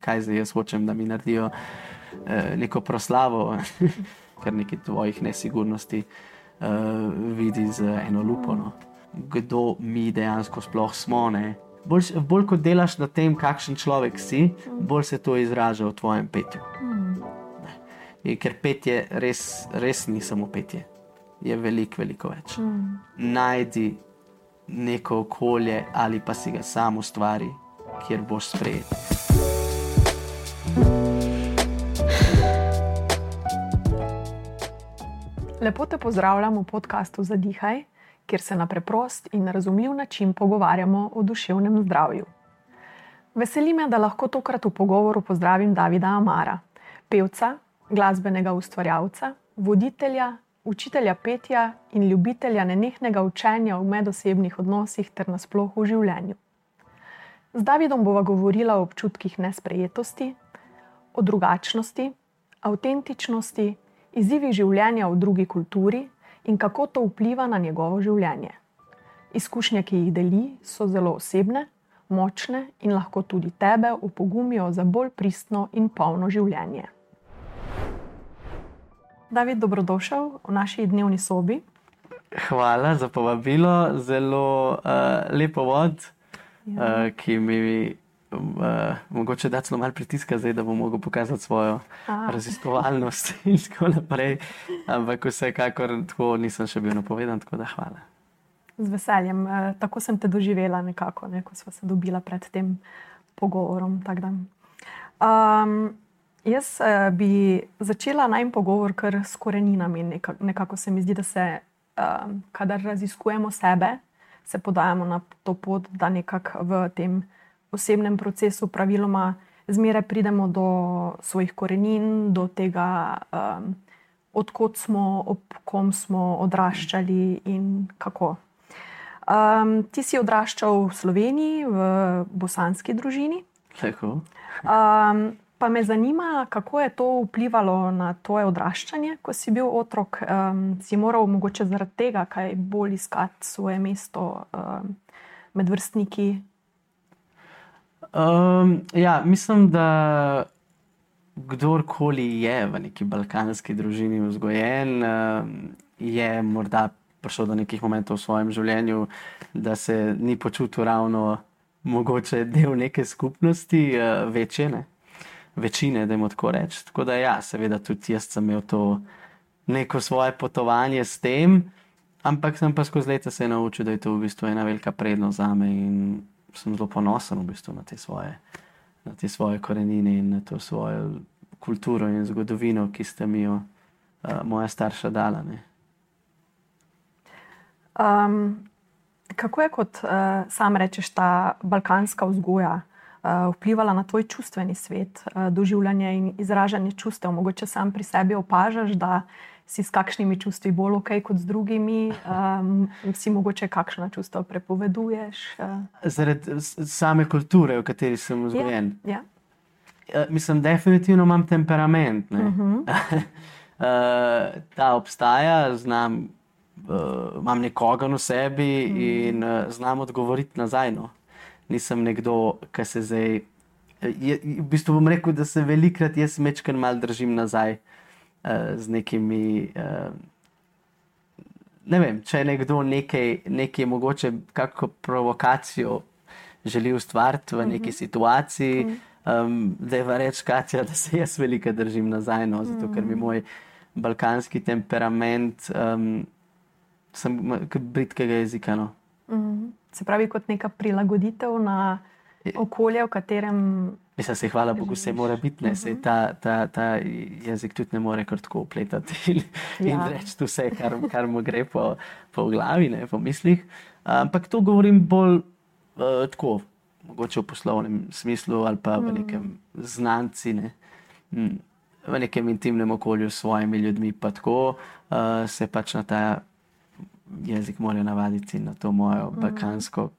kaj zdaj jaz hočem, da mi naredijo neko proslavo, ker neki tvojih nesigurnosti vidi z eno lupo. No. Kdo mi dejansko sploh smo, ne? Bolj kot delaš na tem, kakšen človek si, bolj se to izraža v tvojem petju. Ker petje res ni samo petje. Je veliko več. Najdi neko okolje ali pa si ga sam ustvari, kjer boš sprejet. Lepo te pozdravljam v podcastu Zadihaj, kjer se na preprost in razumljiv način pogovarjamo o duševnem zdravju. Veseli me, da lahko tokrat v pogovoru pozdravim Davida Amara, pevca, glasbenega ustvarjalca, voditelja, učitelja petja in ljubitelja nenehnega učenja v medosebnih odnosih ter nasploh v življenju. Z Davidom bova govorila o občutkih nesprejetosti, o drugačnosti, avtentičnosti, izzivih življenja v drugi kulturi in kako to vpliva na njegovo življenje. Izkušnje, ki jih deli, so zelo osebne, močne in lahko tudi tebe opogumijo za bolj pristno in polno življenje. David, dobrodošel v naši dnevni sobi. Hvala za povabilo, zelo lep povod, ki mi mogoče da celo malo pritiska zdaj, da bom mogel pokazati svojo raziskovalnost in tako naprej, ampak vsekakor tako nisem še bil napovedan, tako da hvala. Z veseljem, tako sem te doživela nekako, ko sva se dobila pred tem pogovorom. Jaz bi začela najin pogovor kar s koreninami. Nekako se mi zdi, da se, kadar raziskujemo sebe, se podajamo na to pot, da nekako v tem osebnem procesu praviloma zmeraj pridemo do svojih korenin, do tega, odkot smo, ob kom smo odraščali in kako. Ti si odraščal v Sloveniji, v bosanski družini. Tako. Pa me zanima, kako je to vplivalo na tvoje odraščanje, ko si bil otrok. Si moral mogoče zaradi tega kaj bolj iskati svoje mesto med vrstniki? Mislim, da kdorkoli je v neki balkanski družini vzgojen, je morda prišel do nekih momentov v svojem življenju, da se ni počutil ravno mogoče del neke skupnosti, večine, dajmo tako reči. Tako da seveda tudi jaz sem imel to neko svoje potovanje s tem, ampak sem pa skozi leta se naučil, da je to v bistvu ena velika prednost zame in sem zelo ponosen v bistvu na te svoje korenine in na to svojo kulturo in zgodovino, ki sta mi jo moja starša dala. Ne. Kako je, kot sam rečeš, ta balkanska vzgoja vplivala na tvoj čustveni svet, doživljanje in izražanje čustev? Mogoče sam pri sebi opažaš, da si s kakšnimi čustvi bolj okej kot z drugimi? Si mogoče kakšna čustva prepoveduješ? Zaradi same kulture, v kateri sem vzgojen? Ja. Mislim, definitivno imam temperament. Ne? Ta obstaja, imam nekoga v sebi in znam odgovoriti nazaj. No. Nisem nekdo, ki se zdaj... v bistvu bom rekel, da se velikrat jaz mečkar malo držim nazaj z nekimi... ne vem, če nekdo nekaj mogoče kako provokacijo želi ustvariti v neki situaciji, da je reči, Katja, da se jaz veliko držim nazaj, no, zato ker mi moj balkanski temperament sem kot britkega jezika, no. Se pravi, kot neka prilagoditev na okolje, v katerem... Mislim, se hvala Bogu, se mora biti, ne, se ta jezik tudi ne more kar tako upletati in reči vse, kar mu gre po glavi, ne, po mislih. Ampak to govorim bolj tako, mogoče v poslovnem smislu ali pa v nekem znanci, ne. V nekem intimnem okolju s svojimi ljudmi, pa tako se pač na ta jezik morajo navaditi in na to mojo balkansko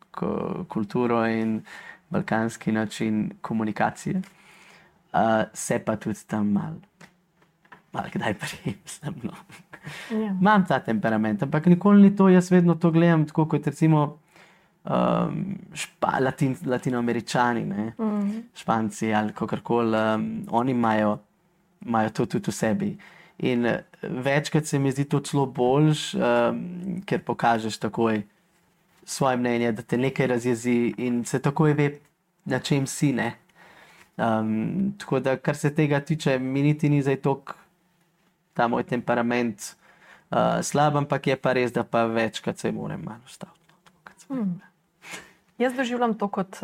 kulturo in balkanski način komunikacije. Se pa tudi tam malo kdaj prijem, no. Imam ta temperament, ampak nikoli ni to, jaz vedno to gledam tako kot recimo Latinoameričani, ne, Španci ali kakorkoli, oni imajo to tudi v sebi. In večkrat se mi zdi to celo boljš, ker pokažeš takoj svoje mnenje, da te nekaj razjezi in se takoj ve, na čem si, ne. Tako da, kar se tega tiče, mi niti ni zdaj toliko ta moj temperament slab, ampak je pa res, da pa večkrat se moram malo ustaviti. Jaz doživljam to kot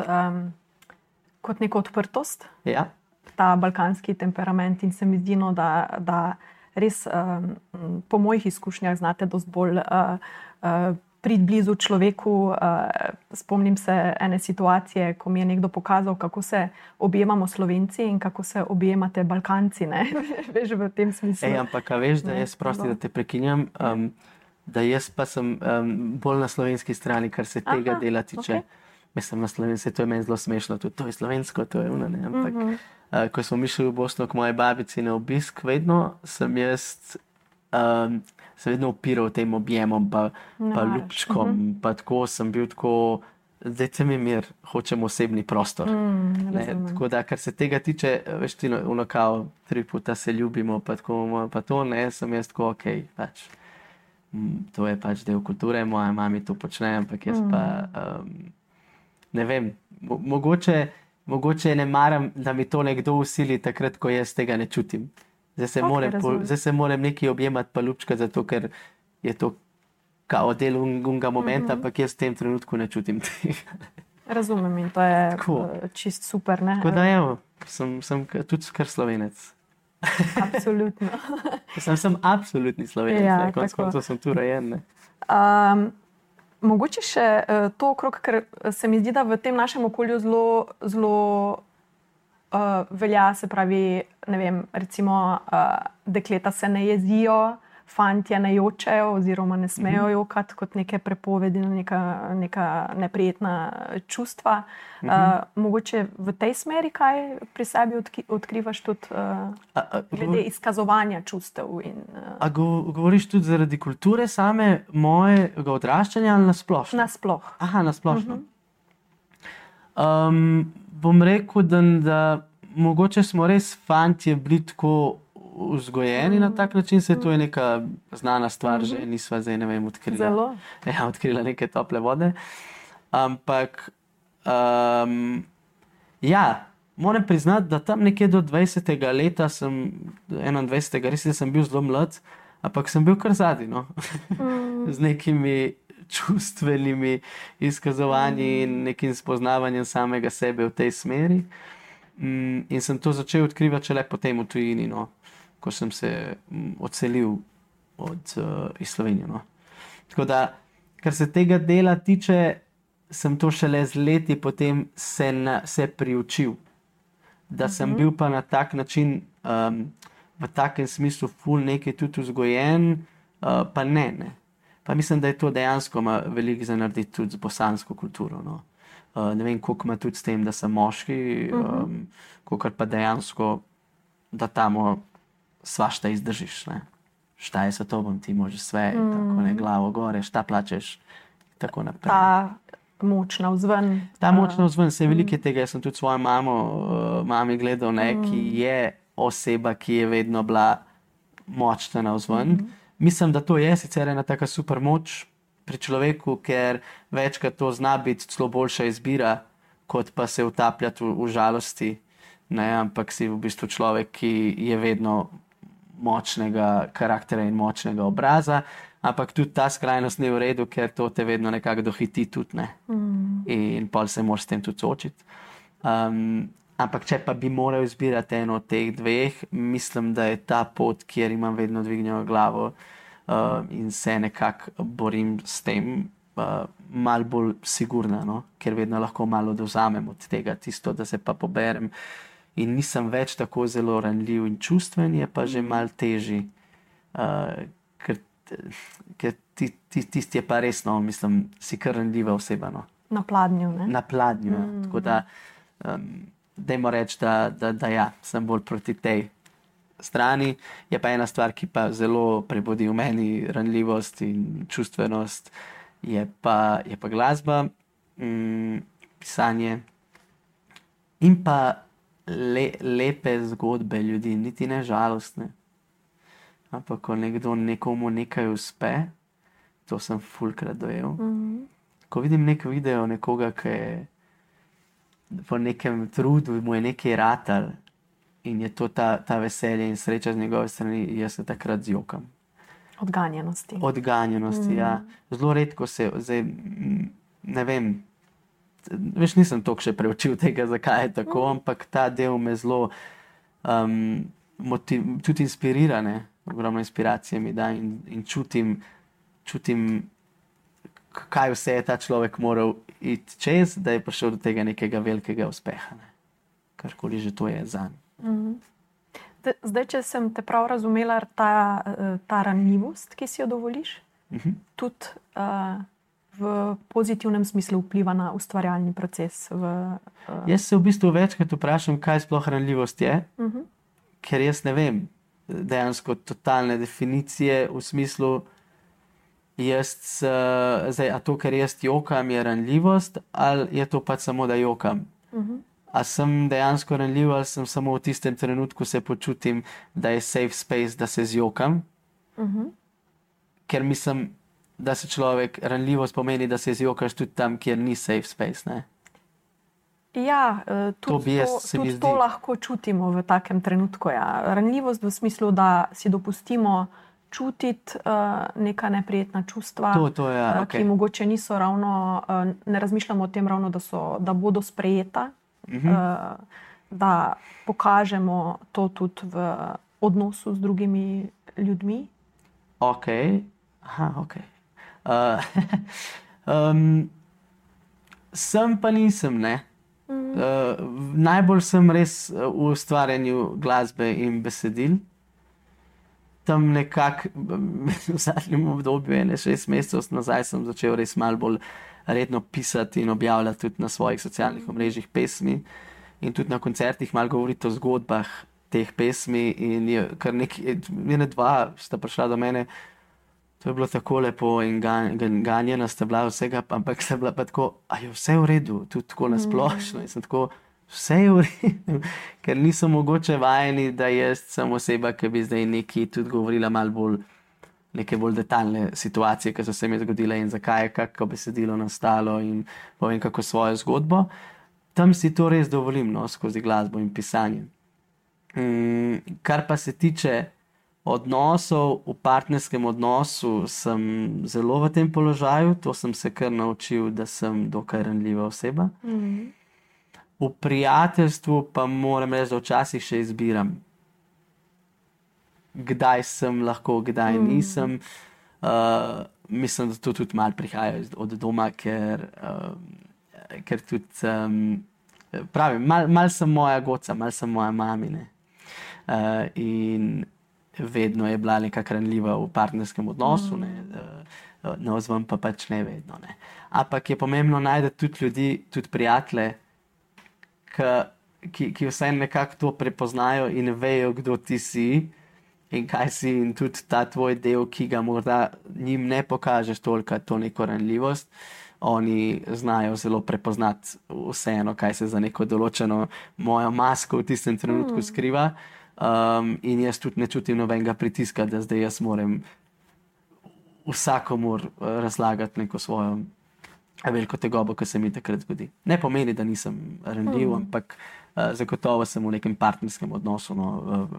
neko odprtost, Ja. ta balkanski temperament in se mi zdi, no, da res po mojih izkušnjah znate dosti bolj priti blizu človeku. Spomnim se ene situacije, ko mi je nekdo pokazal, kako se objemamo Slovenci in kako se objemate Balkanci, ne? Veš, v tem smislu. Ampak, a veš, da jaz prosti, da te prekinjam, da jaz pa sem bolj na slovenski strani, kar se tega dela tiče. Okay. Mislim, na slovenski, to je meni zelo smešno, tudi to je slovensko, to je ne, ampak ko smo mi šli v Bosno k moji babici na obisk, vedno sem jaz se vedno opiral tem objemom, pa ljubčkom, pa tako sem bil tako, dajte mi mir, hočem osebni prostor. Tako da, kar se tega tiče, veš ti, kao 3 puta se ljubimo, pa tako, pa to, ne, sem jaz tako, okej, pač, to je pač del kulture, moja mami to počne, ampak jaz pa, ne vem, mogoče ne maram, da mi to nekdo usili takrat, ko jaz tega ne čutim. Zdaj se moram nekaj objemati pa ljubčkati, zato ker je to kao del unga momenta, ampak jaz v tem trenutku ne čutim tega. Razumem in to je čist super, ne? Tako da evo, sem tudi kar Slovenec. Absolutno. Sem absolutni Slovenec, konec koncev sem tu rojen, ne. Mogoče še to okrog, ker se mi zdi, da v tem našem okolju zelo velja, se pravi, ne vem, recimo dekleta se ne jezijo, fantje ne jočejo oziroma ne smejo jokati kot neke prepovedi, neka neprijetna čustva. Mogoče v tej smeri kaj pri sebi odkrivaš tudi glede izkazovanja čustev? A govoriš tudi zaradi kulture same mojega odraščanja ali nasplošno? Nasploh. Aha, nasplošno. Bom rekel, da mogoče smo res fantje bili tako vzgojeni na tak način, se to je neka znana stvar, že nisva zdaj, ne vem, odkrila neke tople vode. Ampak, moram priznati, da tam nekje do 20. leta 21. res sem bil zelo mlad, ampak sem bil kar zadnji, no. Z nekimi čustvenimi izkazovanji in nekim spoznavanjem samega sebe v tej smeri. In sem to začel odkrivati šele potem v tujini, no, ko sem se odselil iz Slovenije. No. Tako da, kar se tega dela tiče, sem to šele z leti potem se priučil. Da sem bil pa na tak način, v takem smislu ful nekaj tudi vzgojen, pa ne. Pa mislim, da je to dejansko ima veliko za narediti tudi z bosansko kulturo. No. Ne vem, koliko ima tudi s tem, da sem moški, koliko pa dejansko, da tamo svašta izdržiš. Ne. Šta je svetovno, ti možeš sve, tako ne, glavo gore, šta plačeš, tako naprej. Ta moč navzven. Ta moč navzven, se velike tega, jaz sem tudi svojo mami gledal, ne, ki je oseba, ki je vedno bila močna navzven. Mislim, da to je sicer ena taka super moč pri človeku, ker večkrat to zna biti celo boljša izbira, kot pa se utapljati v žalosti. Ne, ampak si v bistvu človek, ki je vedno močnega karaktera in močnega obraza, ampak tudi ta skrajnost ni v redu, ker to te vedno nekako dohiti tudi, ne. In pol se moraš s tem tudi soočiti. Ampak če pa bi moral izbirati eno od teh dveh, mislim, da je ta pot, kjer imam vedno dvignjeno glavo in se nekako borim s tem, malo bolj sigurna, no? Ker vedno lahko malo dovzamem od tega tisto, da se pa poberem. In nisem več tako zelo ranljiv in čustven, je pa že malo težji. Ker tisti je pa resno, mislim, si kar ranljiva oseba, no. Na pladnju, ne? Na pladnju, tako da dajmo reči, da ja, sem bolj proti tej strani. Je pa ena stvar, ki pa zelo prebudi v meni ranljivost in čustvenost, je pa glasba. pisanje in pa lepe zgodbe ljudi, niti ne žalostne. Ampak ko nekomu nekaj uspe, to sem fulkrat dojel. Ko vidim nek video nekoga, ki je po nekem trudu, mu je nekaj ratal in je to ta veselje in sreča z njegove strani, jaz se takrat zjokam. Odganjenosti, ja. Zelo redko zdaj, ne vem, veš, nisem toliko še preučil tega, zakaj je tako, ampak ta del me zelo tudi inspirira, ne. Ogromno inspiracije mi da in čutim, kaj vse je ta človek moral iti čez, da je prišel do tega nekega velikega uspeha. Ne. Karkoli že to je zanj. Zdaj, če sem te prav razumela, ta ranljivost, ki si jo dovoliš, tudi v pozitivnem smislu vpliva na ustvarjalni proces. Jaz se v bistvu večkrat vprašam, kaj sploh ranljivost je, ker jaz ne vem dejansko totalne definicije v smislu, zdaj, a to, ker jaz jokam, je ranljivost, ali je to pač samo, da jokam? A sem dejansko ranljiv, ali sem samo v tistem trenutku se počutim, da je safe space, da se zjokam? Ker mislim, da se ranljivost pomeni, da se zjokaš tudi tam, kjer ni safe space, ne? Ja, tudi to lahko čutimo v takem trenutku. Ja. Ranljivost v smislu, da si dopustimo čutiti neka neprijetna čustva, ki mogoče niso ravno, ne razmišljamo o tem ravno, da bodo sprejeta, da pokažemo to tudi v odnosu z drugimi ljudmi. Sem pa nisem, ne. Najbolj sem res v ustvarjanju glasbe in besedil. Tam nekako v zadnjem obdobju, 6 mesecev nazaj, sem začel res malo bolj redno pisati in objavljati tudi na svojih socialnih omrežjih pesmi in tudi na koncertih malo govoriti o zgodbah teh pesmi in je kar dva sta prišla do mene. To je bilo tako lepo in ganjena sta bila vsega, ampak sta bila pa tako, a je vse v redu, tudi tako nasplošno. In sem tako, vse je v redu, ker niso mogoče vajeni, da jaz sem oseba, ki bi zdaj neki tudi govorila malo bolj, neke bolj detaljne situacije, ki so se mi zgodile in zakaj je kako besedilo nastalo in povem kako svojo zgodbo. Tam si to res dovolim, no, skozi glasbo in pisanje. Kar pa se tiče odnosov, v partnerskem odnosu sem zelo v tem položaju, to sem se kar naučil, da sem dokaj ranljiva oseba. V prijateljstvu pa moram reči, da včasih še izbiram, kdaj sem lahko, kdaj nisem. Mislim, da to tudi malo prihaja od doma, ker tudi pravim, malo sem moja goca, malo sem moja mamine. In vedno je bila nekako ranljiva v partnerskem odnosu, na ozven pa pač ne vedno. Ne. Ampak je pomembno najti tudi ljudi, tudi prijatelje, ki vsaj nekako to prepoznajo in vejo, kdo ti si in kaj si in tudi ta tvoj del, ki ga morda njim ne pokažeš toliko, to neko ranljivost. Oni znajo zelo prepoznati vseeno, kaj se za neko določeno mojo masko v tistem trenutku skriva. In jaz tudi ne čutim nobenega pritiska, da zdaj jaz moram vsakomur razlagati neko svojo veliko tegobo, ki se mi takrat zgodi. Ne pomeni, da nisem ranljiv, ampak zagotovo sem v nekem partnerskem odnosu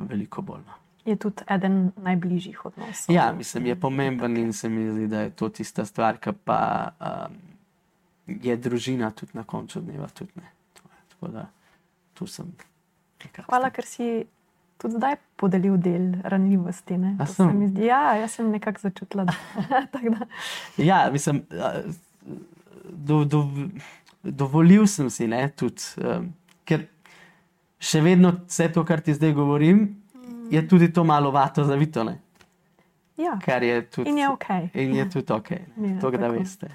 veliko bolj. Je tudi eden najbližjih odnosov. Ja, mislim, je pomemben in se mi zdi, da je to tista stvar, ki pa je družina tudi na koncu dneva. Tudi, ne. Tako da tu sem. Hvala, ker si tudi zdaj podelil del ranljivosti. Ne? Ja, jaz sem nekako začutila. Ja, mislim, dovolil sem si, ne, tudi, ker še vedno vse to, kar ti zdaj govorim, je tudi to malo vato zavito, ne. Ja, in je okej. In je tudi okej, to da veste.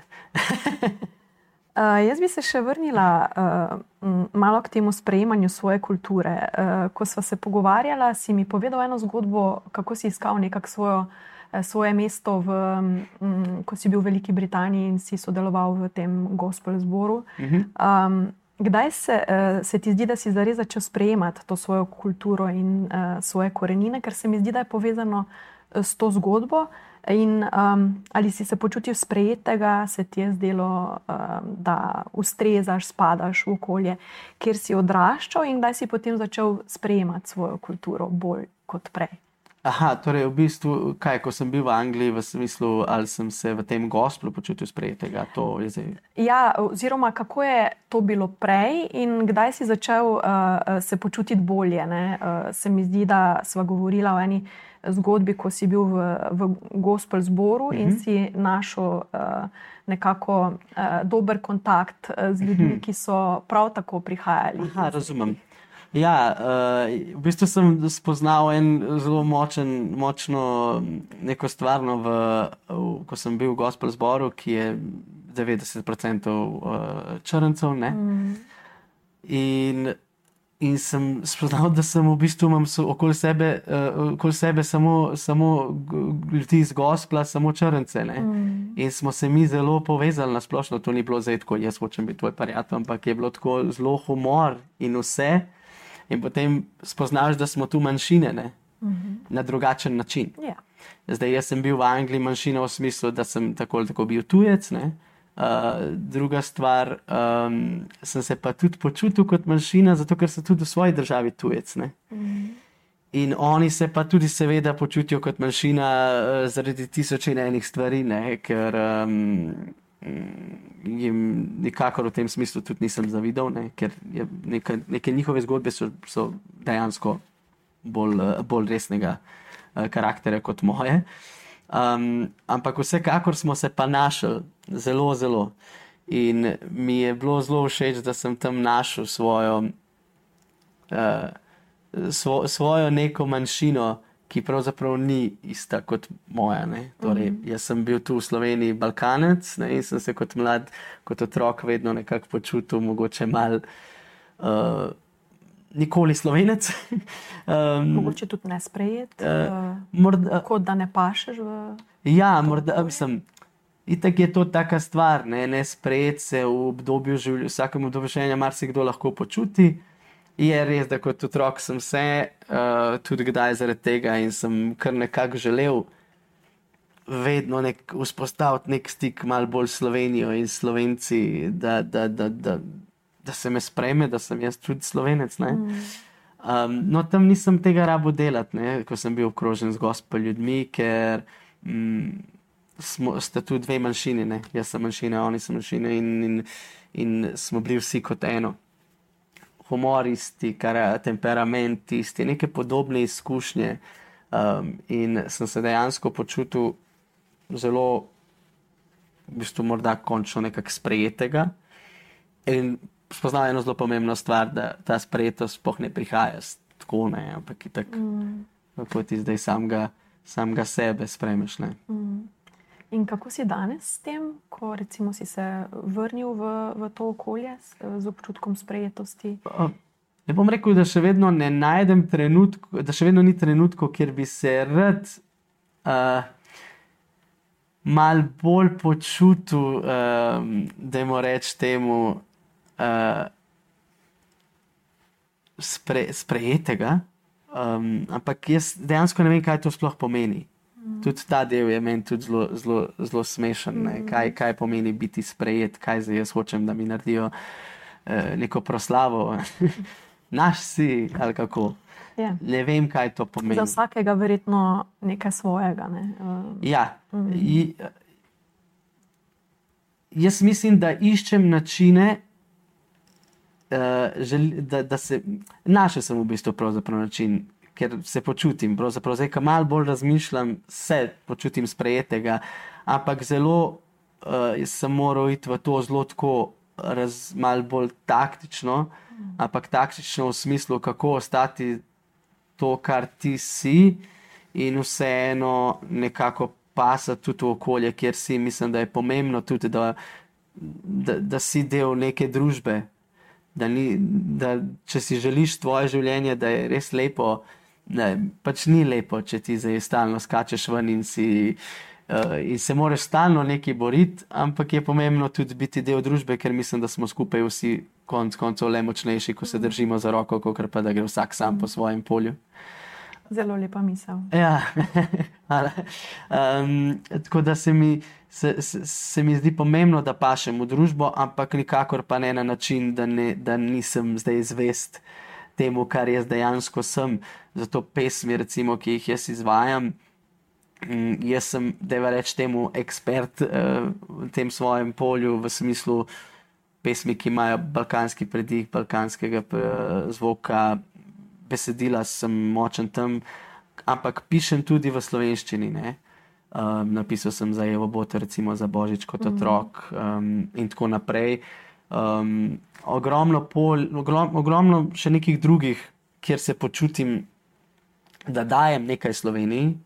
Jaz bi se še vrnila malo k temu sprejemanju svoje kulture. Ko sva se pogovarjala, si mi povedal eno zgodbo, kako si iskal nekako svojo svoje mesto, ko si bil v Veliki Britaniji in si sodeloval v tem gospel zboru. Kdaj se ti zdi, da si zares začel sprejemati to svojo kulturo in svoje korenine, ker se mi zdi, da je povezano s to zgodbo? In ali si se počutil sprejetega, se ti je zdelo, da ustrezaš, spadaš v okolje, kjer si odraščal, in kdaj si potem začel sprejemati svojo kulturo bolj kot prej? Aha, torej v bistvu, ko sem bil v Angliji, v smislu, ali sem se v tem gospelu počutil sprejetega, to je zdaj. Ja, oziroma kako je to bilo prej in kdaj si začel se počutiti bolje, ne? Se mi zdi, da sva govorila o eni zgodbi, ko si bil v gospel zboru in si našel nekako dober kontakt z ljudmi, ki so prav tako prihajali. Aha, razumem. Ja, v bistvu sem spoznal en zelo močno neko stvarno, ko sem bil v gospel zboru, ki je 90% črncev, ne? In sem spoznal, da sem v bistvu imam okoli sebe samo ljudi iz gospla, samo črnce, ne? In smo se mi zelo povezali na splošno, to ni bilo zdaj tako, jaz hočem biti tvoj prijatelj, ampak je bilo tako zelo humor in vse. In potem spoznaš, da smo tu manjšine, ne? Na drugačen način. Yeah. Zdaj, jaz sem bil v Angliji manjšina v smislu, da sem tako bil tujec, ne? Druga stvar, sem se pa tudi počutil kot manjšina, zato ker sem tudi v svoji državi tujec, ne? In oni se pa tudi seveda počutijo kot manjšina zaradi tisoč in enih stvari, ne? Ker jim nikakor v tem smislu tudi nisem zavidal, ne? Ker neke njihove zgodbe so dejansko bolj resnega karakterja kot moje. Ampak vsekakor smo se pa našli zelo. In mi je bilo zelo všeč, da sem tam našel svojo neko manjšino, ki pravzaprav ni ista kot moja, ne? Torej, jaz sem bil tu v Sloveniji Balkanec, ne? In sem se kot mlad, kot otrok vedno nekako počutil mogoče malo nikoli Slovenec. Mogoče tudi nesprejet, kot da ne pašeš v... Ja, morda, itak je to taka stvar, ne? Nesprejet se v vsakem obdobju življenja marsikdo lahko počuti. Je res, da kot otrok sem se tudi kdaj zaradi tega in sem kar nekako želel vedno vzpostaviti nek stik malo bolj s Slovenijo in Slovenci, da se me sprejme, da sem jaz tudi Slovenec, ne? No, tam nisem tega rabo delati, ne? Ko sem bil obkrožen z gospel ljudmi, ker sta tu dve manjšini, ne? Jaz sem manjšina, oni so manjšine in smo bili vsi kot eno. Humor isti, temperament isti, neke podobne izkušnje, in sem se dejansko počutil zelo, v bistvu morda končno nekako sprejetega, in spoznal eno zelo pomembno stvar, da ta sprejetost sploh ne prihaja tako, ne, ampak itak, kako ti zdaj samega sebe sprejmeš, ne. In kako si danes s tem, ko recimo si se vrnil v to okolje z občutkom sprejetosti? Ne bom rekel, da še vedno ne najdem da še vedno ni trenutkov, kjer bi se rad mal bolj počutil, dajmo reči temu, sprejetega, ampak jaz dejansko ne vem, kaj to sploh pomeni. Tudi ta del je meni tudi zelo smešen, ne? Kaj pomeni biti sprejet, kaj zdaj jaz hočem, da mi naredijo neko proslavo. Naš si, ali kako. Yeah. Ne vem, kaj to pomeni. Za vsakega verjetno nekaj svojega, ne? Ja. Jaz mislim, da iščem načine, našel sem v bistvu pravzaprav način, ker se počutim, pravzaprav zdaj, ko malo bolj razmišljam, se počutim sprejetega, ampak zelo sem moral iti v to zelo tako malo bolj taktično, ampak taktično v smislu, kako ostati to, kar ti si, in vseeno nekako pasati tudi v okolje, kjer si. Mislim, da je pomembno tudi, da si del neke družbe, da če si želiš tvoje življenje, da je res lepo, pač ni lepo, če ti zdaj stalno skačeš ven in se moraš stalno nekaj boriti, ampak je pomembno tudi biti del družbe, ker mislim, da smo skupaj vsi konec koncev le močnejši, ko se držimo za roko, kakor pa da gre vsak sam po svojem polju. Zelo lepa misel. Ja, tako da se mi zdi pomembno, da pašem v družbo, ampak nikakor pa ne na način, da nisem zdaj zvest temu, kar jaz dejansko sem. Zato pesmi, recimo, ki jih jaz izvajam, jaz sem, dajva reči temu, ekspert v tem svojem polju, v smislu pesmi, ki imajo balkanski pridih, balkanskega zvoka, besedila sem močen tam, ampak pišem tudi v slovenščini, ne. Napisal sem za Evo Boto, recimo za Božič kot otrok in tako naprej. Ogromno še nekih drugih, kjer se počutim, da dajem nekaj Sloveniji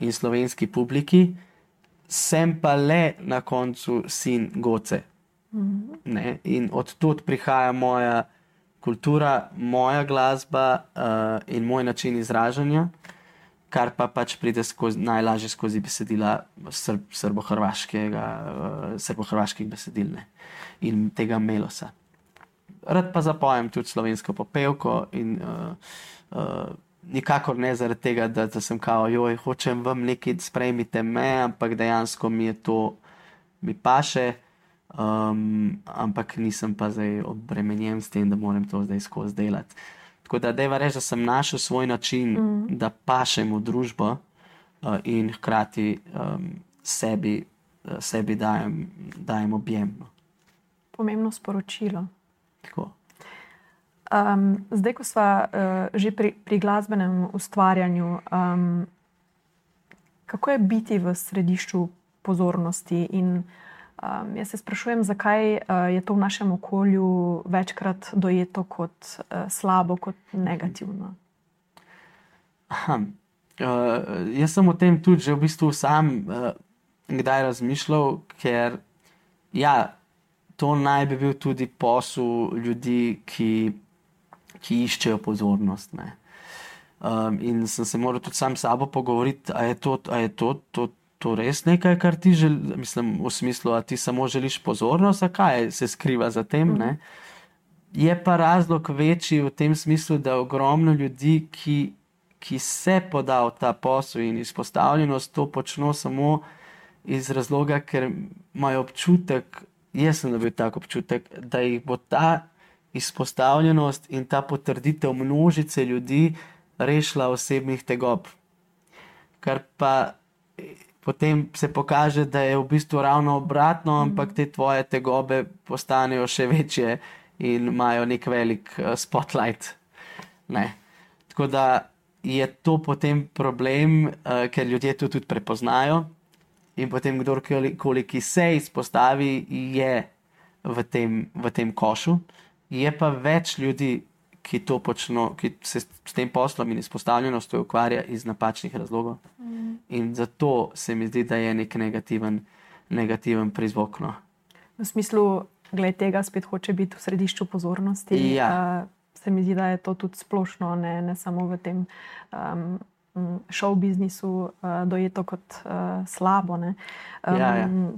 in slovenski publiki, sem pa le na koncu sin Goce. Ne? In od tod prihaja moja kultura, moja glasba in moj način izražanja, kar pa pač pride najlažje skozi besedila srbo-hrvaških besedil, ne? In tega melosa. Rad pa zapojem tudi slovensko popevko in nikakor ne zaradi tega, da sem kao, hočem vam nekaj, sprejmite me, ampak dejansko mi paše, ampak nisem pa zdaj obremenjen s tem, da moram to zdaj skozi delati. Tako da dajva reči, da sem našel svoj način, da pašem v družbo in hkrati sebi dajem objem. Pomembno sporočilo. Tako. Zdaj, ko sva že pri glasbenem ustvarjanju, kako je biti v središču pozornosti in jaz se sprašujem, zakaj je to v našem okolju večkrat dojeto kot slabo, kot negativno? Jaz sem o tem tudi že v bistvu sam kdaj razmišljal, ker to naj bi bil tudi posel ljudi, ki iščejo pozornost. Ne? In sem se moral tudi sam s sabo pogovoriti, a je to res nekaj, kar ti mislim, v smislu, a ti samo želiš pozornost, a kaj se skriva za tem, ne? Je pa razlog večji v tem smislu, da ogromno ljudi, ki se poda v ta posel in izpostavljenost, to počno samo iz razloga, ker imajo občutek, jaz sem dobil tak občutek, da jih bo ta izpostavljenost in ta potrditev množice ljudi rešila osebnih tegob. Kar pa potem se pokaže, da je v bistvu ravno obratno, ampak te tvoje tegobe postanejo še večje in imajo nek velik spotlight. Ne. Tako da je to potem problem, ker ljudje to tudi prepoznajo in potem kdorkoli, ki se izpostavi, je v tem košu. Je pa več ljudi, ki to počno, ki se s tem poslom in izpostavljenostjo ukvarja iz napačnih razlogov. In zato se mi zdi, da je nek negativen prizvok. No. V smislu, glede tega spet hoče biti v središču pozornosti. Ja. Se mi zdi, da je to tudi splošno, ne samo v tem show biznisu dojeto kot slabo. Ne.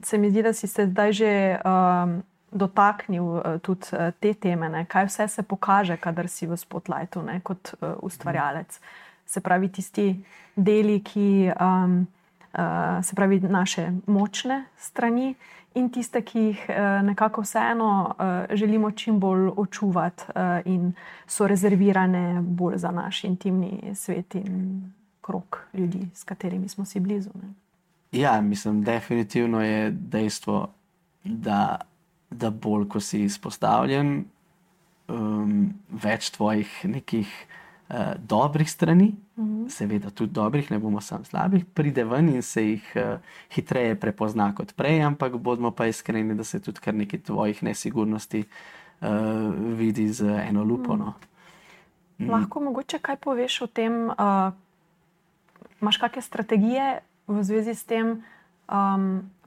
Se mi zdi, da si se zdaj že dotaknil tudi te teme, ne? Kaj vse se pokaže, kadar si v spotlightu, ne? Kot ustvarjalec. Se pravi, tisti deli, ki se pravi naše močne strani in tiste, ki jih nekako vseeno želimo čim bolj očuvati in so rezervirane bolj za naš intimni svet in krog ljudi, s katerimi smo si blizu. Ne? Ja, mislim, definitivno je dejstvo, da bolj, ko si izpostavljen, več tvojih nekih dobrih strani, seveda tudi dobrih, ne bomo samo slabih, pride ven in se jih hitreje prepozna kot prej, ampak bodimo pa iskreni, da se tudi kar nekaj tvojih nesigurnosti vidi z eno lupo. No. Lahko mogoče kaj poveš o tem, imaš kakšne strategije v zvezi s tem,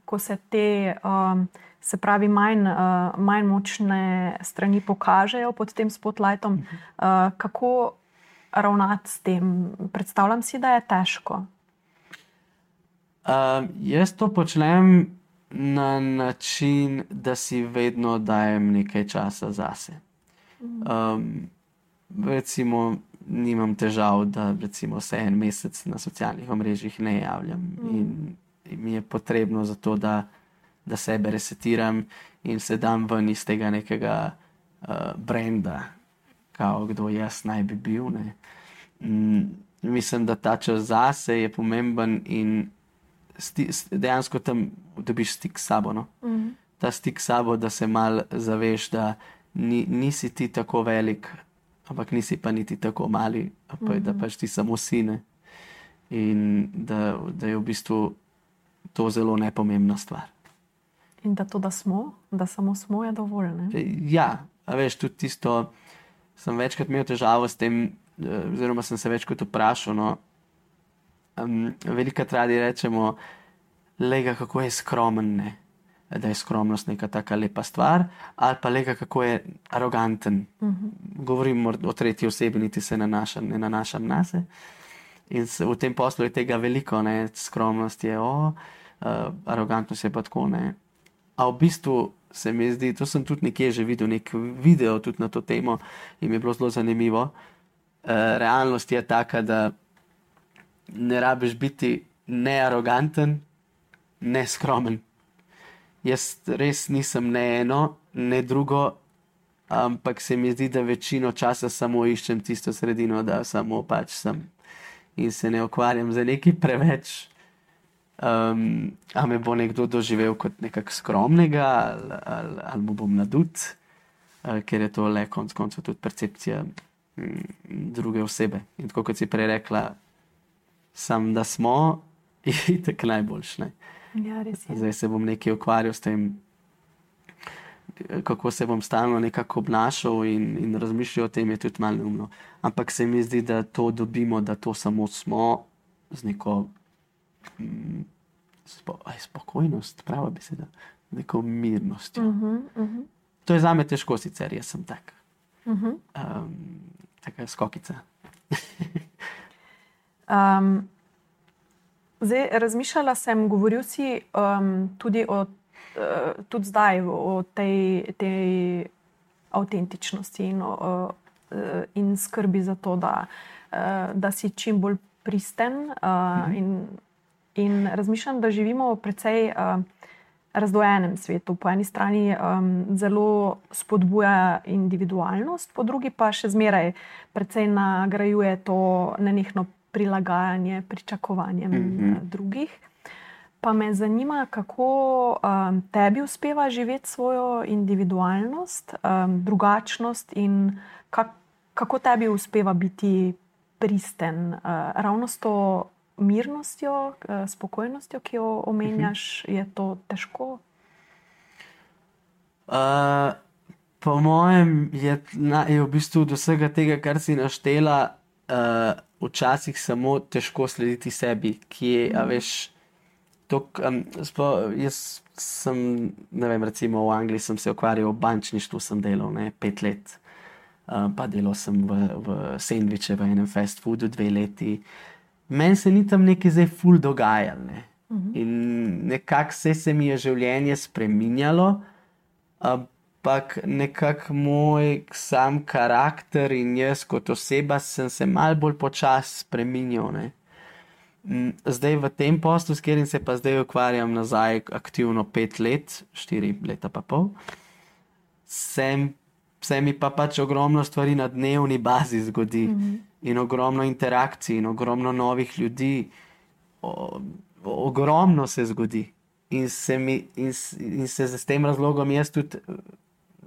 ko se te se pravi manj močne strani pokažejo pod tem spotlightom, kako ravnati s tem? Predstavljam si, da je težko. Jaz to počnem na način, da si vedno dajem nekaj časa zase. Recimo, nimam težav, da recimo se en mesec na socialnih omrežjih ne javljam in mi je potrebno za to, da sebe resetiram in se dam ven iz tega nekega brenda, kao kdo jaz naj bi bil. Ne. Mislim, da ta čas zase je pomemben in dejansko tam dobiš stik s sabo. No? Ta stik s sabo, da se mal zaveš, da nisi ti tako velik, ampak nisi pa niti tako mali, da pač ti samo sine. In da je v bistvu to zelo nepomembna stvar. In da to, da samo smo, je dovolj, ne? Ja, a veš, tudi tisto, sem večkrat imel težavo s tem, oziroma sem se večkrat vprašal, no, velikokrat radi rečemo, lega, kako je skromen, ne? Da je skromnost neka taka lepa stvar, ali pa lega, kako je aroganten. Govorim o tretji osebi, niti se ne nanašam nase. In v tem poslu je tega veliko, ne? Skromnost je arogantnost je pa tako, ne. A v bistvu se mi zdi, to sem tudi nekje že videl, nek video tudi na to temo in mi je bilo zelo zanimivo. Realnost je taka, da ne rabiš biti ne aroganten, ne skromen. Jaz res nisem ne eno, ne drugo, ampak se mi zdi, da večino časa samo iščem tisto sredino, da samo pač sem in se ne ukvarjam za nekaj preveč. A me bo nekdo doživel kot nekak skromnega ali mu bom nadut, ker je to le konec koncev tudi percepcija druge osebe. In tako kot si prej rekla, sam da smo je tako najboljš. Ne? Ja, res je. Zdaj se bom nekaj ukvarjal s tem, kako se bom stalno nekako obnašal in razmišljal o tem, je tudi malo neumno. Ampak se mi zdi, da to dobimo, da to samo smo z neko spokojnost, prava beseda, z neko mirnostjo. To je zame težko sicer, jaz sem tak. Taka skokica. Zdaj, razmišljala sem, govoril si tudi zdaj o tej avtentičnosti in skrbi za to, da si čim bolj pristen in razmišljam, da živimo v precej razdvojenem svetu. Po eni strani zelo spodbuja individualnost, po drugi pa še zmeraj precej nagrajuje to nenehno prilagajanje pričakovanjem drugih. Pa me zanima, kako tebi uspeva živeti svojo individualnost, drugačnost in kako tebi uspeva biti pristen. Ravno s to mirnostjo, spokojnostjo, ki jo omenjaš, je to težko? Po mojem je v bistvu od vsega tega, kar si naštela, včasih samo težko slediti sebi, ki je, a veš, jaz sem, ne vem, recimo v Angliji sem se ukvarjal v bančništvu, sem delal 5 let, pa delal sem v sendviče v enem fast foodu 2 leti. Meni se ni tam nekaj zdaj ful dogajalo, ne. In nekako se mi je življenje spreminjalo, ampak nekako moj sam karakter in jaz kot oseba sem se malo bolj počasi spreminjal, ne. Zdaj v tem poslu, s katerim se pa zdaj ukvarjam nazaj aktivno 5 let, 4 leta pa pol, se mi pa pač ogromno stvari na dnevni bazi zgodi in ogromno interakcij in ogromno novih ljudi, ogromno se zgodi in se s tem razlogom jaz tudi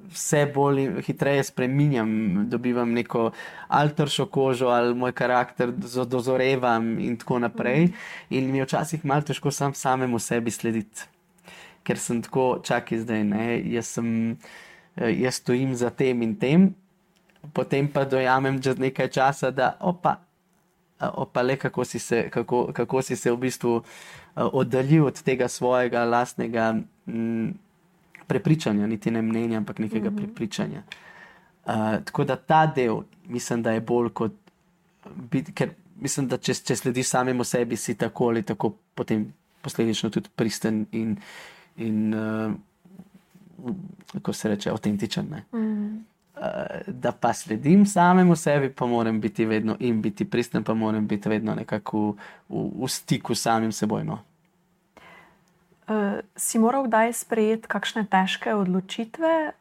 vse bolj hitreje spreminjam, dobivam neko alteršo kožo ali moj karakter dozorevam in tako naprej. In mi je včasih malo težko samemu sebi slediti. Ker sem tako, čakaj zdaj, ne, jaz stojim za tem in tem, potem pa dojamem čez nekaj časa, da opa le, kako si se v bistvu oddaljil od tega svojega lastnega prepričanja, niti ne mnenja, ampak nekega prepričanja. Tako da ta del, mislim, da je bolj kot ker mislim, da če slediš samemu sebi, si tako ali tako potem posledično tudi pristen in kako se reče, avtentičen. Da pa sledim samemu sebi, pa moram biti vedno in biti pristen, pa moram biti vedno nekako v stiku s samim seboj. No. Si moral kdaj sprejeti kakšne težke odločitve,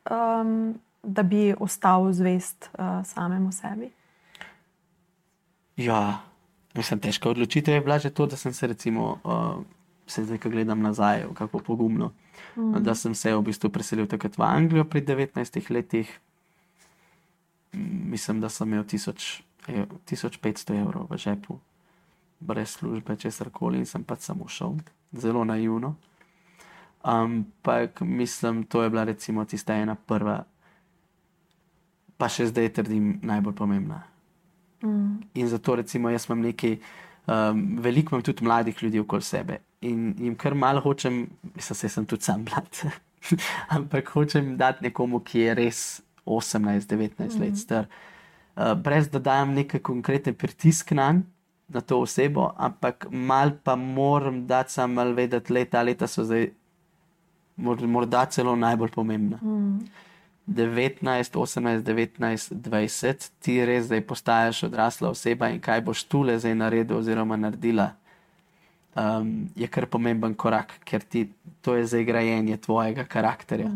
da bi ostal zvest samemu sebi? Ja, mislim, težka odločitev je bila že to, da sem se recimo, zdaj, ko gledam nazaj, kako pogumno, da sem se v bistvu preselil takrat v Anglijo pri 19 letih. Mislim, da sem imel 1500 evrov v žepu, brez službe, česarkoli, in sem pač samo šel. Zelo naivno. Ampak mislim, to je bila recimo tista ena prva, pa še zdaj trdim, najbolj pomembna. In zato recimo jaz imam nekaj, veliko imam tudi mladih ljudi okoli sebe in jim kar malo hočem, mislim, sem tudi sam mlad, ampak hočem dati nekomu, ki je res 18-19 let star, brez da dajem nekaj konkreten pritisk na to osebo, ampak mal pa moram dati sam mal vedeti, ta leta so zdaj morda celo najbolj pomembna. 19, 18, 19, 20, ti res zdaj postaješ odrasla oseba in kaj boš tule zdaj naredil oziroma naredila, je kar pomemben korak, ker to je zdaj grajenje tvojega karakterja.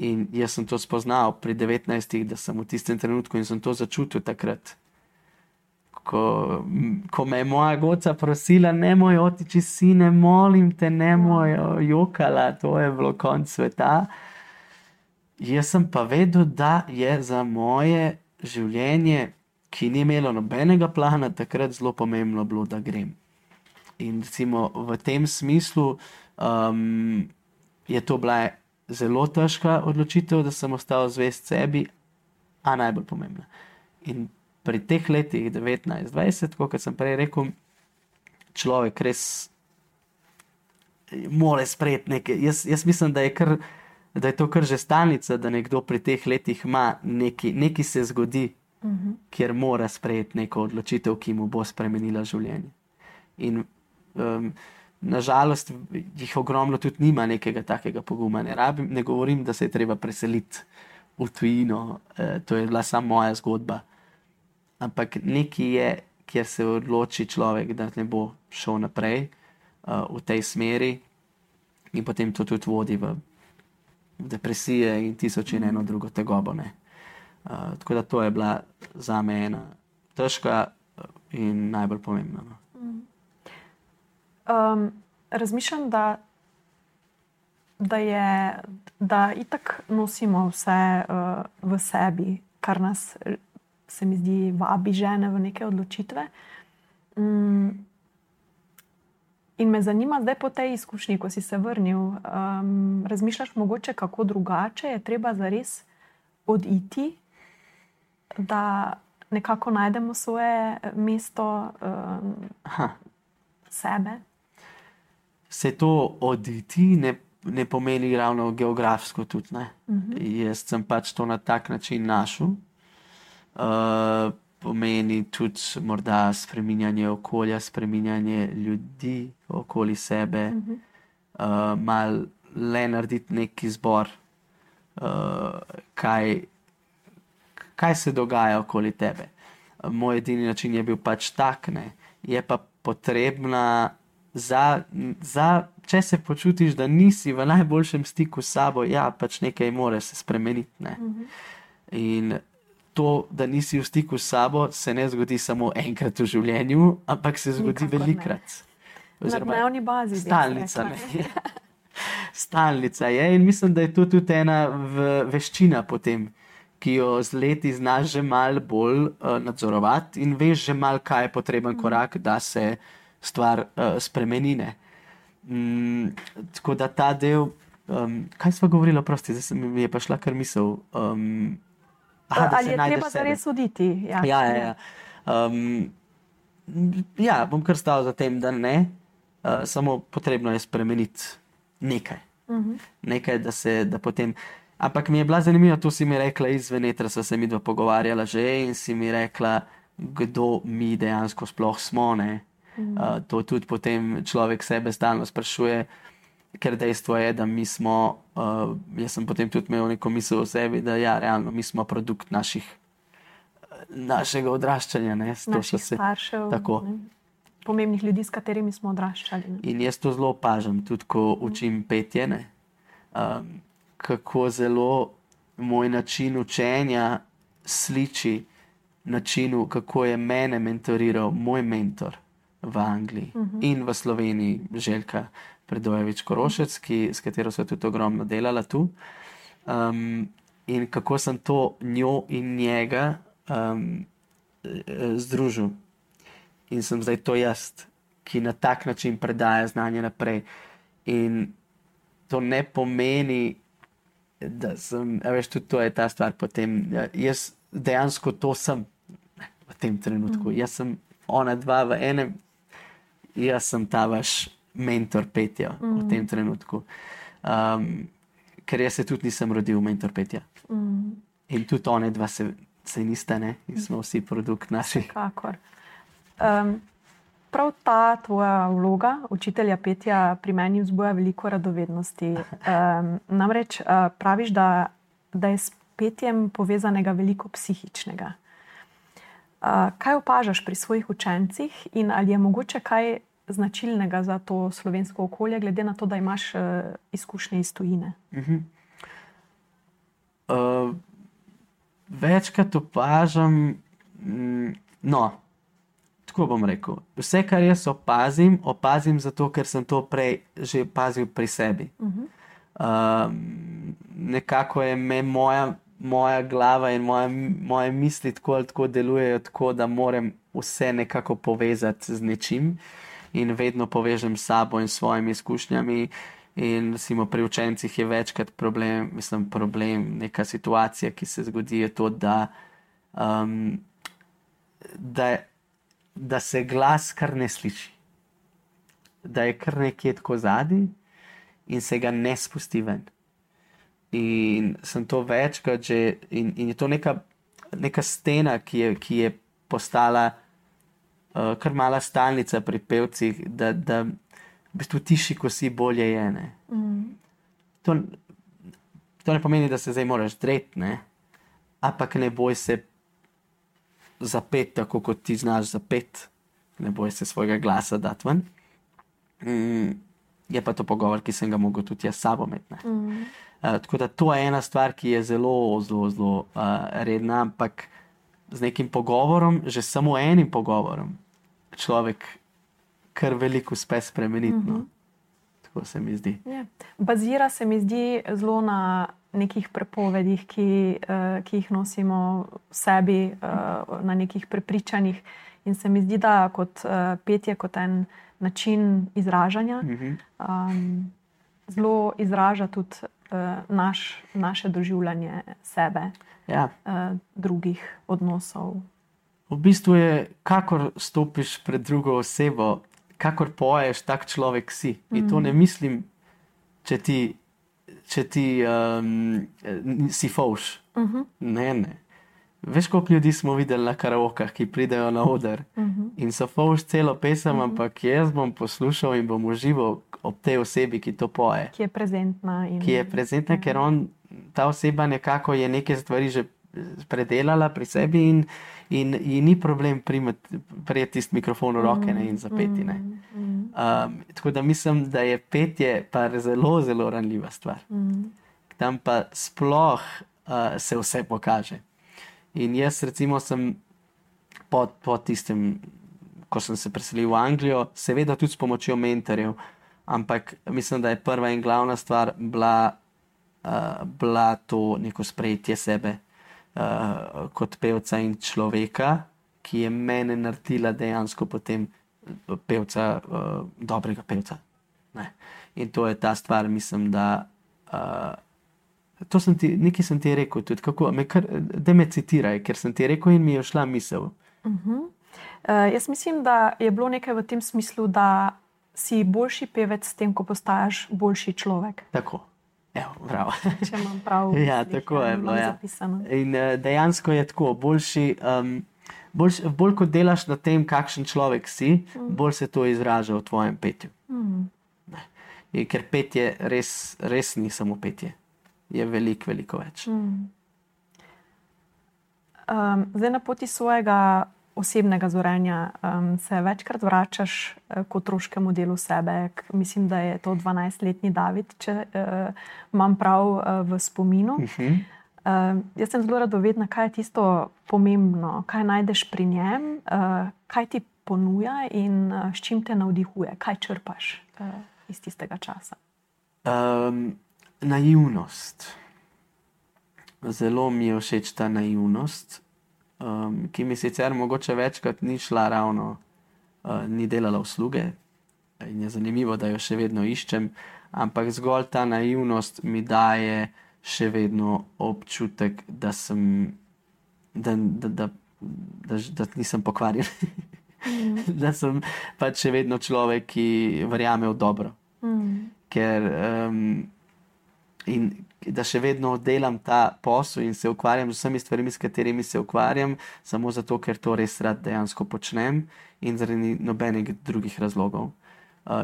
In jaz sem to spoznal pri 19, da sem v tistem trenutku in sem to začutil takrat, ko me je moja goca prosila, nemoj otiči, sine, molim te, nemoj jokala, to je bilo konc sveta. Jaz sem pa vedel, da je za moje življenje, ki ni imelo nobenega plana, takrat zelo pomembno bilo, da grem. In recimo v tem smislu je to bila zelo težka odločitev, da sem ostal zvest sebi, a najbolj pomembna. In pri teh letih 19-20, kot sem prej rekel, človek res mora sprejeti nekaj. Jaz mislim, da je to kar že stalnica, da nekdo pri teh letih ima nekaj se zgodi, kjer mora sprejeti neko odločitev, ki mu bo spremenila življenje. In nažalost jih ogromno tudi nima nekega takega poguma. Ne govorim, da se je treba preseliti v tujino, to je bila samo moja zgodba. Ampak nekaj je, kjer se odloči človek, da ne bo šel naprej v tej smeri in potem to tudi vodi v depresije in 1001 drugo tegobo. Tako da to je bila zame ena težka in najbolj pomembna. Razmišljam, da itak nosimo vse v sebi, kar nas, se mi zdi, vabi žene v neke odločitve. In me zanima zdaj po tej izkušnji, ko si se vrnil, razmišljaš mogoče kako drugače je treba zares oditi, da nekako najdemo svoje mesto sebe? Se to oditi ne pomeni ravno geografsko tudi, ne? Jaz sem pač to na tak način našel. Pomeni tudi morda spreminjanje okolja, spreminjanje ljudi okoli sebe, malo le narediti neki izbor, kaj se dogaja okoli tebe. Moj edini način je bil pač tak, ne. Je pa potrebna če se počutiš, da nisi v najboljšem stiku s sabo, ja, pač nekaj mora se spremeniti, ne. In to, da nisi v stiku s sabo, se ne zgodi samo enkrat v življenju, ampak se zgodi velikrat. Na dnevni bazi. Stalnica, ne. Stalnica je in mislim, da je to tudi ena veščina potem, ki jo z leti znaš že malo bolj nadzorovati in veš že malo, kaj je potreben korak, da se stvar spremenine. Tako da ta del, kaj sva govorila, prosti, zdaj mi je pa šla kar misel. Ali je treba zares oditi? Ja. Ja, bom kar stal za tem, da ne, samo potrebno je spremeniti nekaj. Nekaj, da potem. Ampak mi je bila zanimiva, to si mi rekla izven etra, sva se midva pogovarjala že in si mi rekla, kdo mi dejansko sploh smo. To tudi potem človek sebe stalno sprašuje, ker dejstvo je, da mi smo, jaz sem potem tudi imel neko misel o sebi, da ja, realno, mi smo produkt našega odraščanja. Naših staršev, pomembnih ljudi, s katerimi smo odraščali. In jaz to zelo opažam, tudi ko učim petje, kako zelo moj način učenja sliči načinu, kako je mene mentoriral moj mentor v Angliji in v Sloveniji, Željka Predojević-Korošec, s katero so tudi ogromno delala tu. In kako sem to njo in njega združil. In sem zdaj to jaz, ki na tak način predaja znanje naprej. In to ne pomeni, da sem, veš, tudi to je ta stvar potem. Jaz dejansko to sem v tem trenutku. Jaz sem ona dva v enem, jaz sem ta vaš mentor petja v tem trenutku. Ker jaz se tudi nisem rodil mentor petja. In tudi one dva se nista, in smo vsi produkt naših. Kakor. Prav ta tvoja vloga učitelja petja pri meni vzbuja veliko radovednosti. Namreč praviš, da je s petjem povezanega veliko psihičnega. Kaj opažaš pri svojih učencih in ali je mogoče kaj značilnega za to slovensko okolje, glede na to, da imaš izkušnje iz tujine? Večkrat opažam, tako bom rekel, vse, kar jaz opazim zato, ker sem to prej že opazil pri sebi. Nekako je moja glava in moje misli tako delujejo tako, da moram vse nekako povezati z nečim in vedno povežem s sabo in svojimi izkušnjami. In recimo pri učencih je večkrat problem, neka situacija, ki se zgodi, je to, da se glas kar ne sliši. Da je kar nekje tako zadaj in se ga ne spusti ven. In sem to večkrat že, in je to neka stena, ki je postala kar mala stalnica pri pevcih, da v bistvu tiši, ko si, bolje je. To ne pomeni, da se zdaj moraš dreti, ampak ne boj se zapeti tako, kot ti znaš zapeti. Ne boj se svojega glasa dati ven. Je pa to pogovor, ki sem ga mogel tudi jaz s sabo imeti. Tako da to je ena stvar, ki je zelo, zelo, zelo redna, ampak z nekim pogovorom, že samo enim pogovorom, človek kar veliko uspe spremeniti. Tako se mi zdi. Bazira se mi zdi zelo na nekih prepovedih, ki jih nosimo v sebi, na nekih prepričanjih. In se mi zdi, da kot petje, kot en način izražanja, zelo izraža tudi naše doživljanje sebe, drugih odnosov. V bistvu je, kakor stopiš pred drugo osebo, kakor poješ, tak človek si. In to ne mislim, če ti si fovš. Ne. Veš, koliko ljudi smo videli na karaokah, ki pridejo na oder in so fovš celo pesem, ampak jaz bom poslušal in bom užival ob tej osebi, ki to poje. Ki je prezentna. Ker ta oseba nekako je neke stvari že predelala pri sebi in ji ni problem prijeti tisti mikrofon v roke in zapeti. Tako da mislim, da je petje pa zelo, zelo ranljiva stvar. Tam pa sploh se vse pokaže. In jaz recimo sem po tistem, ko sem se preselil v Anglijo, seveda tudi s pomočjo mentorjev, ampak mislim, da je prva in glavna stvar bila to neko sprejetje sebe kot pevca in človeka, ki je mene naredila dejansko potem pevca, dobrega pevca. In to je ta stvar, mislim, da nekaj sem ti rekel tudi, da me citiraj, ker sem ti rekel in mi je šla misel. Jaz mislim, da je bilo nekaj v tem smislu, da si boljši pevec s tem, ko postajaš boljši človek. Tako. Evo, bravo. Če imam prav. Ja, tako je bilo. Ja. In dejansko je tako, boljši, Bolj kot delaš na tem, kakšen človek si, bolj se to izraža v tvojem petju. Ker petje res ni samo petje. Je veliko več. Zdaj na poti svojega osebnega zorenja se večkrat vračaš k otroškemu delu sebe. Mislim, da je to 12-letni David, če imam prav v spominu. Jaz sem zelo radovedna, kaj je tisto pomembno, kaj najdeš pri njem, kaj ti ponuja in s čim te navdihuje, kaj črpaš iz tistega časa. Naivnost. Zelo mi je všeč ta naivnost, ki mi sicer mogoče večkrat ni šla ravno, ni delala usluge in je zanimivo, da jo še vedno iščem, ampak zgolj ta naivnost mi daje še vedno občutek, da nisem pokvarjen. Da sem pač še vedno človek, ki verjame v dobro. Ker in da še vedno delam ta posel in se ukvarjam z vsemi stvarmi, s katerimi se ukvarjam, samo zato, ker to res rad dejansko počnem in zaradi nobenih drugih razlogov.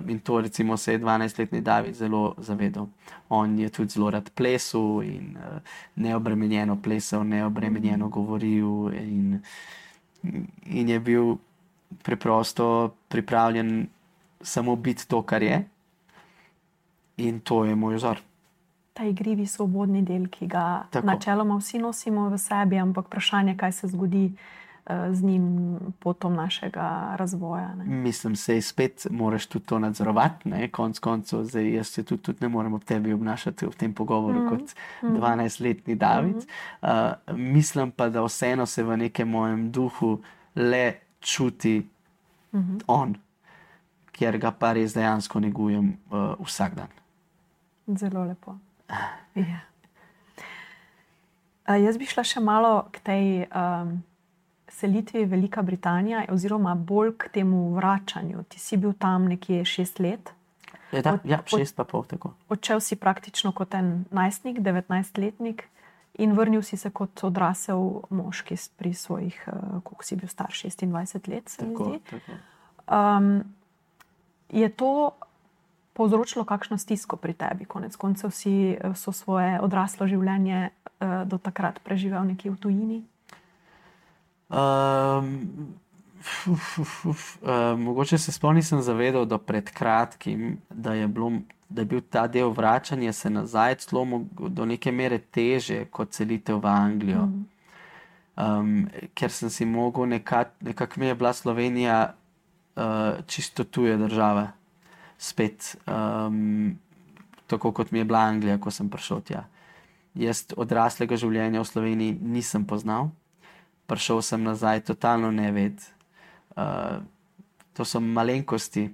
In to recimo se je 12-letni David zelo zavedal. On je tudi zelo rad plesal in neobremenjeno plesal, neobremenjeno govoril in je bil preprosto pripravljen samo biti to, kar je. In to je moj vzor. Ta igrivi, svobodni del, ki ga načeloma vsi nosimo v sebi, ampak vprašanje, kaj se zgodi z njim potom našega razvoja. Ne? Mislim, se spet moraš tudi to nadzorovati, ne? Konec koncev, zdaj jaz se tudi ne morem ob tebi obnašati v tem pogovoru kot 12-letni David. Mislim pa, da vseeno se v nekem mojem duhu le čuti on, kjer ga pa res dejansko negujem vsak dan. Zelo lepo. Ja. Jaz bi šla še malo k tej selitvi Velika Britanija oziroma bolj k temu vračanju. Ti si bil tam nekje 6 let. Ja, 6,5 tako. Odšel si praktično kot en najstnik, 19-letnik in vrnil si se kot odrasel moški pri svojih, koliko si bil star, 26 let, se mi zdi. Tako. Je to povzročilo kakšno stisko pri tebi? Konec koncev si so svoje odraslo življenje do takrat preživel nekje v tujini? Mogoče se sploh nisem zavedal do pred kratkim, da je bil ta del vračanja se nazaj celo do neke mere teže kot selitev v Anglijo. Ker sem si mogel nekako mi je bila Slovenija čisto tuja država. Spet, tako kot mi je bila Anglija, ko sem prišel tja. Jaz odraslega življenja v Sloveniji nisem poznal. Prišel sem nazaj totalno neved. To so malenkosti.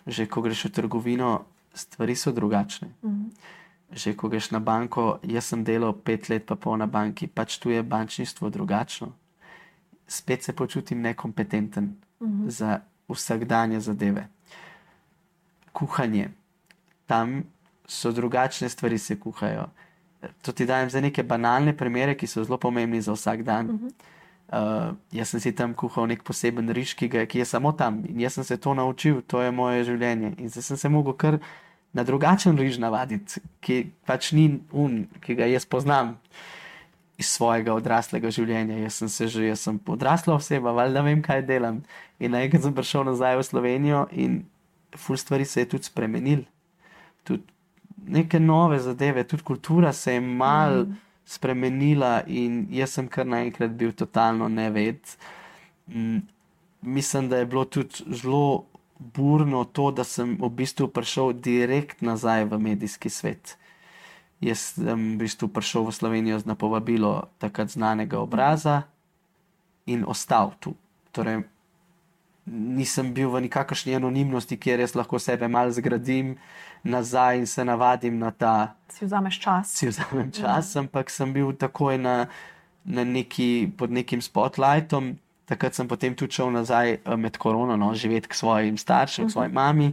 Že ko greš v trgovino, stvari so drugačne. Že ko greš na banko, jaz sem delal 5 let pa pol na banki, pač tu je bančništvo drugačno. Spet se počutim nekompetenten za vsakdanje zadeve. Kuhanje. Tam so drugačne stvari se kuhajo. To ti dajem za neke banalne primere, ki so zelo pomembni za vsak dan. Jaz sem si tam kuhal nek poseben riž, ki je samo tam. In jaz sem se to naučil, to je moje življenje. In zdaj sem se mogel kar na drugačen riž navaditi, ki pač ni ki ga jaz poznam iz svojega odraslega življenja. Jaz sem odrasla oseba, valjda vem, kaj delam. In naenkrat sem prišel nazaj v Slovenijo in ful stvari se je tudi spremenil. Tudi neke nove zadeve, tudi kultura se je mal spremenila in jaz sem kar naenkrat bil totalno neved. Mislim, da je bilo tudi zelo burno to, da sem v bistvu prišel direkt nazaj v medijski svet. Jaz sem v bistvu prišel v Slovenijo na povabilo takrat znanega obraza in ostal tu. Torej, nisem bil v nikakršni anonimnosti, kjer jaz lahko sebe malo zgradim nazaj in se navadim na ta... Si vzameš čas. Si vzamem čas, ampak sem bil takoj pod nekim spotlightom. Takrat sem potem tudi šel nazaj med korono, živeti k svojim staršem, k svoji mami.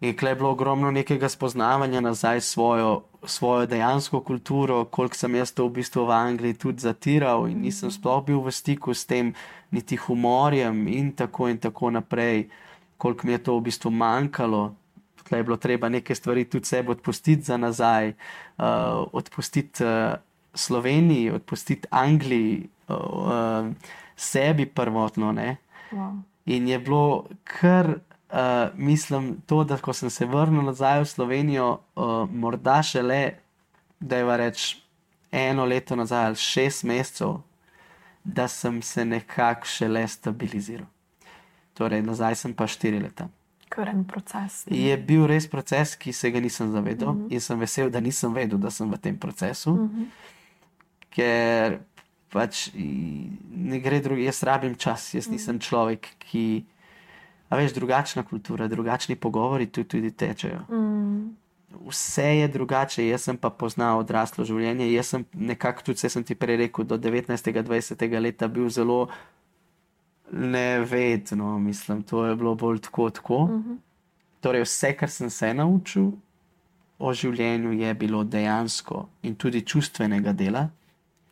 In tukaj je bilo ogromno nekega spoznavanja nazaj svojo dejansko kulturo, koliko sem jaz to v bistvu v Angliji tudi zatiral in nisem sploh bil v stiku s tem, niti humorjem in tako naprej, koliko mi je to v bistvu manjkalo. Tukaj je bilo treba neke stvari tudi sebi odpustiti za nazaj, odpustiti Sloveniji, odpustiti Angliji, sebi prvotno, ne. Wow. In je bilo kar, mislim, to, da ko sem se vrnil nazaj v Slovenijo, morda šele, dajva reči, 1 leto nazaj ali 6 mesecev, da sem se nekako šele stabiliziral. Torej, nazaj sem pa 4 leta. Kar en proces. Je bil res proces, ki se ga nisem zavedal in sem vesel, da nisem vedel, da sem v tem procesu, ker pač ne gre drugi, jaz rabim čas, jaz nisem človek, ki, a veš, drugačna kultura, drugačni pogovori tudi tečejo. Vse je drugače, jaz sem pa poznal odraslo življenje, jaz sem nekako tudi, vse sem ti prej rekel, do 19. 20. leta bil zelo nevedno, mislim, to je bilo bolj tako. Torej, vse, kar sem se naučil o življenju, je bilo dejansko in tudi čustvenega dela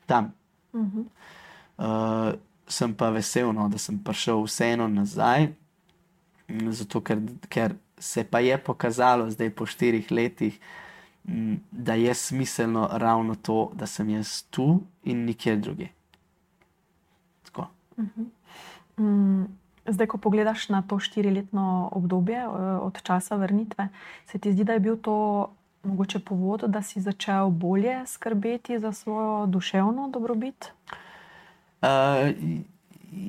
tam. Sem pa vesel, no, da sem prišel vseeno nazaj, zato ker se pa je pokazalo zdaj po 4 letih, da je smiselno ravno to, da sem jaz tu in nikjer drugje. Tako. Zdaj, ko pogledaš na to 4-letno obdobje od časa vrnitve, se ti zdi, da je bil to mogoče povod, da si začel bolje skrbeti za svojo duševno dobrobit?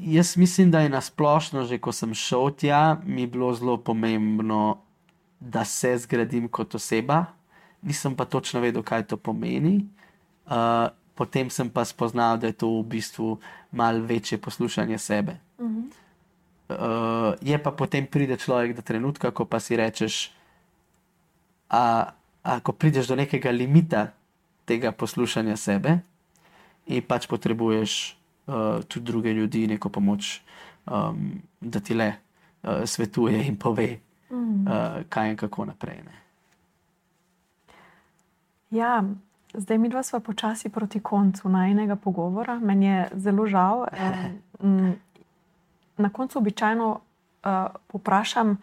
Jaz mislim, da je nasplošno, že ko sem šel tja, mi je bilo zelo pomembno, da se zgradim kot oseba. Nisem pa točno vedel, kaj to pomeni. Potem sem pa spoznal, da je to v bistvu malo večje poslušanje sebe. Je pa potem pride človek do trenutka, ko pa si rečeš, ko prideš do nekega limita tega poslušanja sebe in pač potrebuješ tudi druge ljudi, neko pomoč, da ti le svetuje in pove, kaj in kako naprej. Ne. Ja, zdaj midva sva počasi proti koncu najinega pogovora. Meni je zelo žal. Na koncu običajno poprašam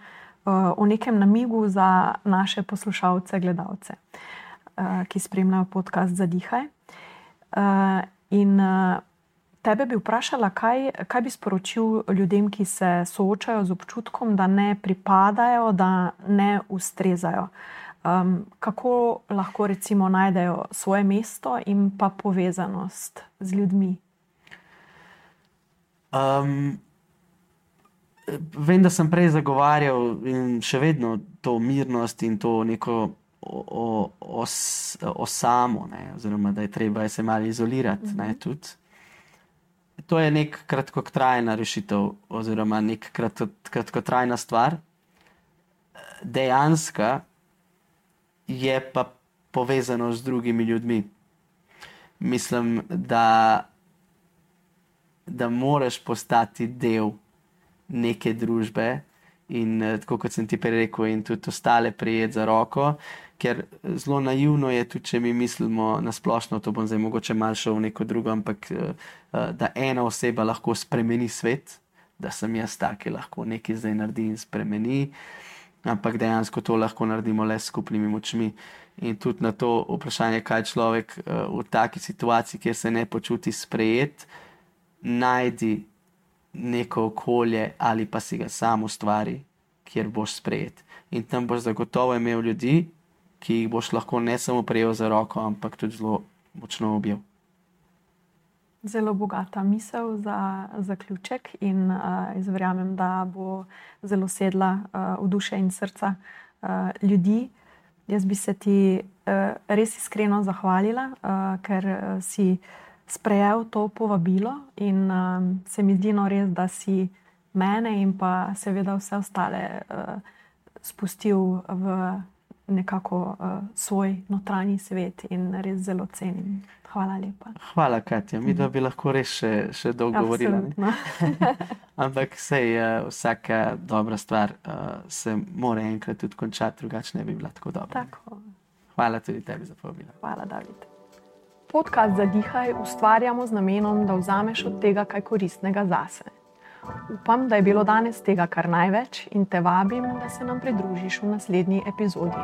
o nekem namigu za naše poslušalce, gledalce, ki spremljajo podcast Zadihaj. In tebe bi vprašala, kaj bi sporočil ljudem, ki se soočajo z občutkom, da ne pripadajo, da ne ustrezajo. Kako lahko recimo najdejo svoje mesto in pa povezanost z ljudmi? Vem, da sem prej zagovarjal in še vedno to mirnost in to neko osamo, ne, oziroma da je treba se malo izolirati, ne, tudi. To je nek kratkotrajna rešitev oziroma nek kratkotrajna stvar. Dejanska je pa povezano z drugimi ljudmi. Mislim, da moraš postati del neke družbe in tako kot sem ti prej rekel, in tudi ostale prijeti za roko, ker zelo naivno je tudi, če mi mislimo na splošno, to bom zdaj mogoče malo šel v neko drugo, ampak da ena oseba lahko spremeni svet, da sem jaz ta, ki lahko nekaj zdaj naredi in spremeni, ampak dejansko to lahko naredimo le s skupnimi močmi. In tudi na to vprašanje, kaj človek v taki situaciji, kjer se ne počuti sprejet, najdi neko okolje ali pa si ga sam ustvari, kjer boš sprejet. In tam boš zagotovo imel ljudi, ki jih boš lahko ne samo prijel za roko, ampak tudi zelo močno objel. Zelo bogata misel za zaključek in jaz verjamem, da bo zelo sedla v duše in srca ljudi. Jaz bi se ti res iskreno zahvalila, ker si sprejel to povabilo in se mi zdi res, da si mene in pa seveda vse ostale spustil v nekako svoj notranji svet in res zelo cenim. Hvala lepa. Hvala, Katja. Mi bi lahko res še dolgo govorila. Ampak sej vsaka dobra stvar se mora enkrat tudi končati, drugače ne bi bila tako dobra. Tako. Hvala tudi tebi za povabilo. Hvala, David. Podcast Zadihaj ustvarjamo z namenom, da vzameš od tega kaj koristnega zase. Upam, da je bilo danes tega kar največ in te vabim, da se nam pridružiš v naslednji epizodi.